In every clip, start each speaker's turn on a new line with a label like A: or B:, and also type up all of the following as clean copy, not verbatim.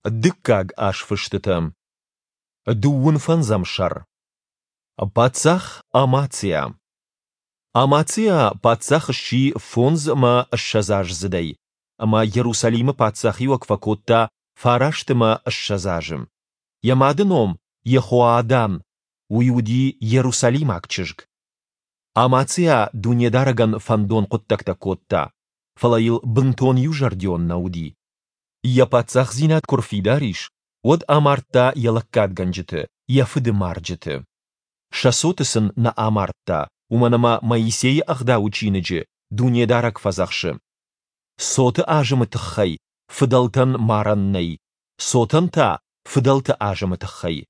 A: Дыккаг азфыстытӕ. Дыууын фӕндзӕм сӕр. Паддзах Амациа. Амациа паддзах сси фондз ӕмӕ ссӕдзаздзыдӕй, ӕмӕ Йерусалимы паддзахиуӕг фӕкодта 29 азы. Йӕ мады ном Йехоадан, уый уыди иерусалимаг чызг. Амациа Дунедарӕгӕн фӕндон хъуыддӕгтӕ кодта, фӕлӕ йыл бынтон иузӕрдион нӕ уыди. Йӕ паддзахдзинад куы рфидар ис, уӕд амардта йӕ лӕггадгӕнджыты, йӕ фыды марджыты. Сӕ цоты сын нӕ амардта, уымӕн ӕмӕ Моисейы Ӕгъдауы чиныджы Дунедарӕг фӕдзӕхсы: Цоты азымы тыххӕй фыдӕлтӕн марӕн нӕй, цотӕн та фыдӕлты азымы тыххӕй.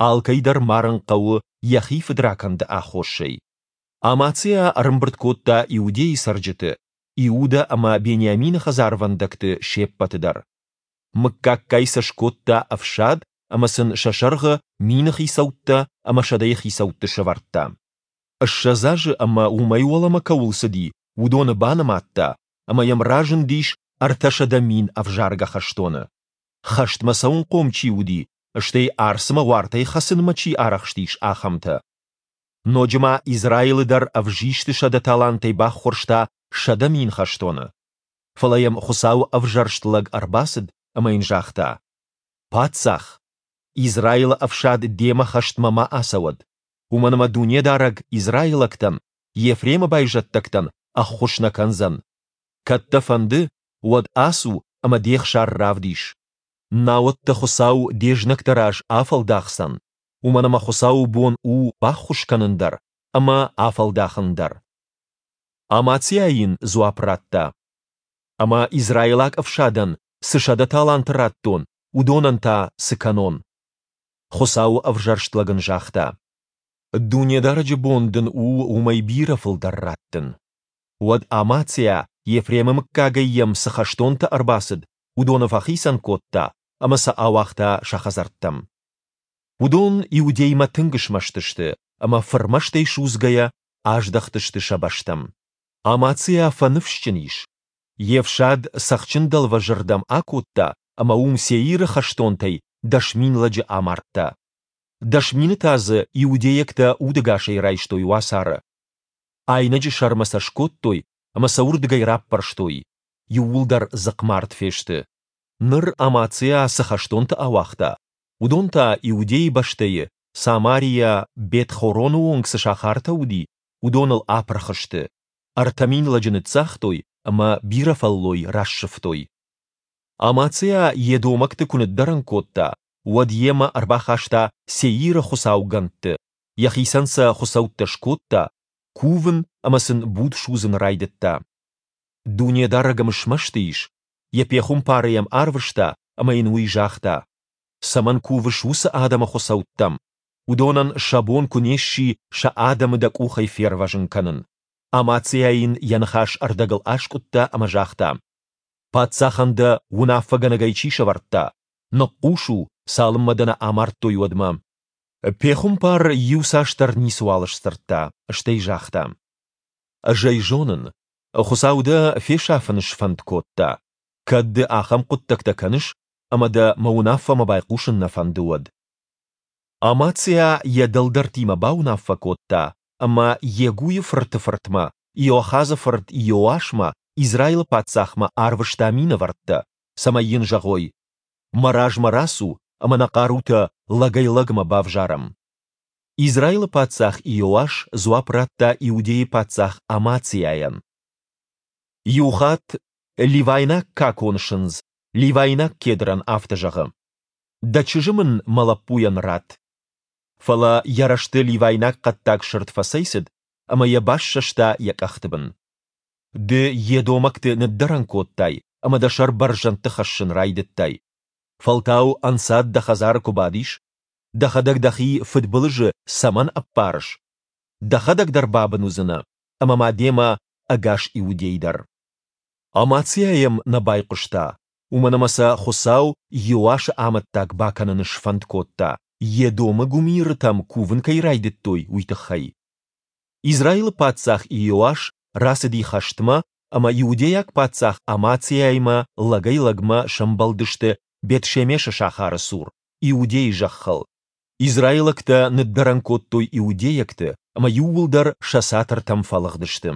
A: Алкӕй дӕр марын хъӕуы йӕхи фыдракӕнды аххосӕй. Амациа ӕрӕмбырд кодта Иудейы цӕрджыты, Иудӕ ӕмӕ Бениамины хӕдзарвӕндӕгты се ппӕты дӕр. Мыггаггай сӕ скодта ӕфсад ӕмӕ сын сӕ сӕргъы мины хицӕуттӕ ӕмӕ сӕдӕйы хицӕутты сӕвӕрдта. 20 азы ӕмӕ уымӕй уӕлӕмӕ кӕуыл цыди, уыдоны банымадта, ӕмӕ йӕм разындис 300 000 ӕвзаргӕ хӕстоны. Хӕстмӕ цӕуынхъом чи уыди, стӕй арцмӕ уартӕй хӕцынмӕ чи арӕхстис, ахӕмтӕ. Ноджы ма Израилы дӕр ӕвзисты 100 талантӕй баххуырста 100 000 хӕстоны. Фӕлӕ йӕм Хуыцауы ӕвзӕрст лӕг ӕрбацыд ӕмӕ йын загъта: «Паддзах, Израилы ӕфсад демӕ хӕстмӕ ма ацӕуӕд, уымӕн ӕмӕ Дунедарӕг израилӕгтӕн, Ефремы байзӕддӕгтӕн, ӕххуыс нӕ кӕндзӕн. Кӕд дӕ фӕнды, уӕд ацу ӕмӕ де хсар равдис. Науӕд дӕ Хуыцау де знӕгты раз афӕлдахдзӕн, уымӕн ӕмӕ Хуыцауы бон у баххуыс кӕнын дӕр ӕмӕ афӕлдахын дӕр». Амациа йын дзуапп радта: «Ӕмӕ израилаг ӕфсадӕн цы 100 таланты радтон, уыдонӕн та цы кӕнон?» Хуыцауы ӕвзӕрст лӕг ын загъта: «Дунедарӕджы бон дын у уымӕй бирӕ фылдӕр раттын». Уӕд Амациа, Ефремы мыггагӕй йӕм цы хӕстонтӕ ӕрбацыд, уыдоны фӕхицӕн кодта ӕмӕ сӕ ауагъта сӕ хӕдзӕрттӕм. Уыдон Иудеймӕ тынг смӕсты сты ӕмӕ фырмӕстӕй судзгӕйӕ аздӕхтысты сӕ бӕстӕм. Амациа фӕныфсджын ис. Йе фсад Цӕхджын дӕлвӕзы рдӕм акодта ӕмӕ уым Сеиры хӕстонтӕй 10 000 лӕджы амардта. 10 000 та дзы иудейӕгтӕ удӕгасӕй райстой уацары. Айнӕджы сӕрмӕ сӕ скодтой ӕмӕ сӕ уырдыгӕй раппӕрстой. Иууылдӕр дзыхъмард фесты. Ныр Амациа цы хӕстонты ауагъта, уыдон та Иудейы бӕстӕйы, Самарийӕ Бет-Хороны онг цы сахартӕ уыди, уыдоныл апырх сты, 3000 лӕджы ныццагътой ӕмӕ бирӕ фӕллой рассывтой. Амациа едомӕгты куы ныддӕрӕн кодта, уӕд йемӕ ӕрбахаста Сеиры хуыцаугӕндты, йӕхицӕн сӕ хуыцӕуттӕ скодта, кувын ӕмӕ сын буд судзын райдыдта. Дунедарӕг ӕм смӕсты ис, йӕ пехуымпары йӕм арвыста ӕмӕ йын уый загъта: «Цӕмӕн кувыс уыцы адӕмы хуыцӕуттӕм? Уыдонӕн сӕ бон куы не сси сӕ адӕмы дӕ къухӕй фервӕзын кӕнын». Амациа йын йӕ ныхас ӕрдӕгыл аскъуыдта ӕмӕ загъта: «Паддзахӕн дӕ уынаффӕгӕнӕгӕй чи сӕвӕрдта? Ныхъхъус у, цалынмӕ дӕ нӕ амардтой, уӕдмӕ». Пехуымпар иуцасдӕр ницыуал сдзырдта, стӕй загъта: «Ӕз ӕй зонын, Хуыцау дӕ фесафын сфӕнд кодта, кӕд ды ахӕм хъуыддӕгтӕ кӕныс ӕмӕ дӕ мӕ уынаффӕмӕ байхъусын нӕ фӕнды, уӕд». Амациа йӕ дӕлдӕртимӕ бауынаффӕ кодта ӕмӕ Йегуйы фырты фыртмӕ, Иоахазы фырт Иоасмӕ, Израилы паддзахмӕ, арвыста минӕвӕрттӕ, цӕмӕй йын зӕгъой: «Мӕ размӕ рацу ӕмӕ нӕ хъарутӕ лӕгӕй-лӕгмӕ бавзарӕм». Израилы паддзах Иоас дзуапп радта Иудейы паддзах Амациайӕн: Иухатт ливайнаг какон сындз ливайнаг кедрӕн афтӕ зӕгъы: «Дӕ чызджы мын мӕ лӕппуйӕн ратт». Фӕлӕ йӕ рӕзты ливайнаг хъӕддаг сырд фӕцӕйцыд ӕмӕ йӕ бассӕста йӕ къӕхты бын. Ды едомӕгты ныддӕрӕн кодтай ӕмӕ дӕ сӕр бӕрзӕндты хӕссын райдыдтай. Фӕлтау ӕнцад дӕ хӕдзары куы бадис. Дӕхӕдӕг дӕхи фыдбылызы цӕмӕн ӕппарыс? Дӕхӕдӕг дӕр бабын уыдзынӕ, ӕмӕ ма демӕ ӕгас Иудей дӕр. Амациа йӕм нӕ байхъуыста, уымӕн ӕмӕ сӕ Хуыцау Иоасы амӕттаг бакӕнын сфӕнд кодта, Едомы гуымирытӕм кувын кӕй райдыдтой, уый тыххӕй. Израилы паддзах Иоас рацыди хӕстмӕ ӕмӕ иудейаг паддзах Амациаимӕ лӕгӕй-лӕгмӕ сӕмбӕлдысты. Бет-Шемешы сахары цур, Иудӕйы зӕххыл. Израилӕгтӕ ныддӕрӕн кодтой иудейӕгты, ӕмӕ иууылдӕр сӕ цатыртӕм фӕлыгъдысты.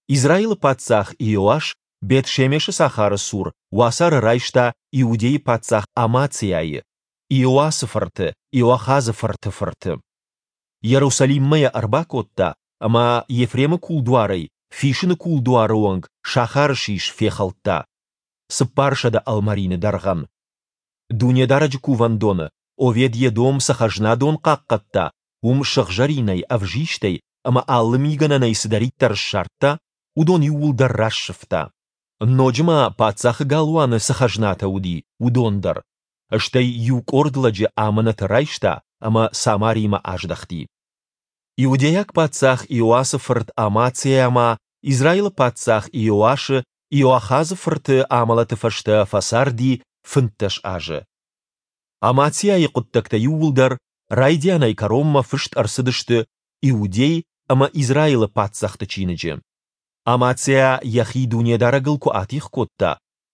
A: Израилы паддзах Иоас Бет-Шемешы сахары цур уацары райста Иудӕйы паддзах Амациайы, Иоасы фырты, Иоахазы фырты фырты. Йерусалиммӕ йӕ ӕрбакодта ӕмӕ Ефремы кулдуарӕй Фисыны кулдуары онг сахары сис фехӕлдта, 400 ӕлмӕрины дӕргъӕн. Дунедарӕджы кувӕндоны Овед-Едом цы хӕзнадон хъахъхъӕдта, уым сыгъзӕринӕй, ӕвзистӕй ӕмӕ алы мигӕнӕнӕй цыдӕриддӕр ссардта, уыдон иууылдӕр рассывта. Ноджы ма паддзахы галуаны цы хӕзнатӕ уыди, уыдон дӕр. Стӕй иу къорд лӕджы амынӕты райста ӕмӕ Самаримӕ аздӕхти. Иудейаг паддзах Иоасы фырт Амациа ма Израилы паддзах Иоашы, Иоахазы фырты амӕлӕты фӕстӕ фӕцарди 15 азы. Амациайы хъуыддӕгтӕ иууылдӕр райдианӕй кӕронмӕ фыст ӕрцыдысты Иудей ӕмӕ Израилы паддзӕхты чиныджы. Амациа йӕхи Дунедарӕгыл куы атигъ кодта,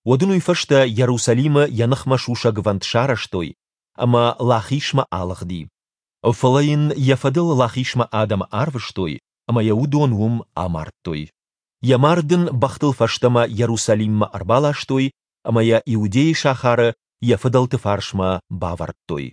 A: уӕд ын уый фӕстӕ Йерусалимы йӕ ныхмӕ сусӕгвӕнд сарӕзтой, ӕмӕ Лахишмӕ алыгъди. Фӕлӕ йын йӕ фӕдыл Лахишмӕ адӕмы арвыстой, ӕмӕ йӕ уыдон уым амардтой. Йӕ мард ын бӕхтыл фӕстӕмӕ Йерусалиммӕ ӕрбаластой ӕмӕ йӕ Иудейы сахары йӕ фыдӕлты фарсмӕ бавӕрдтой.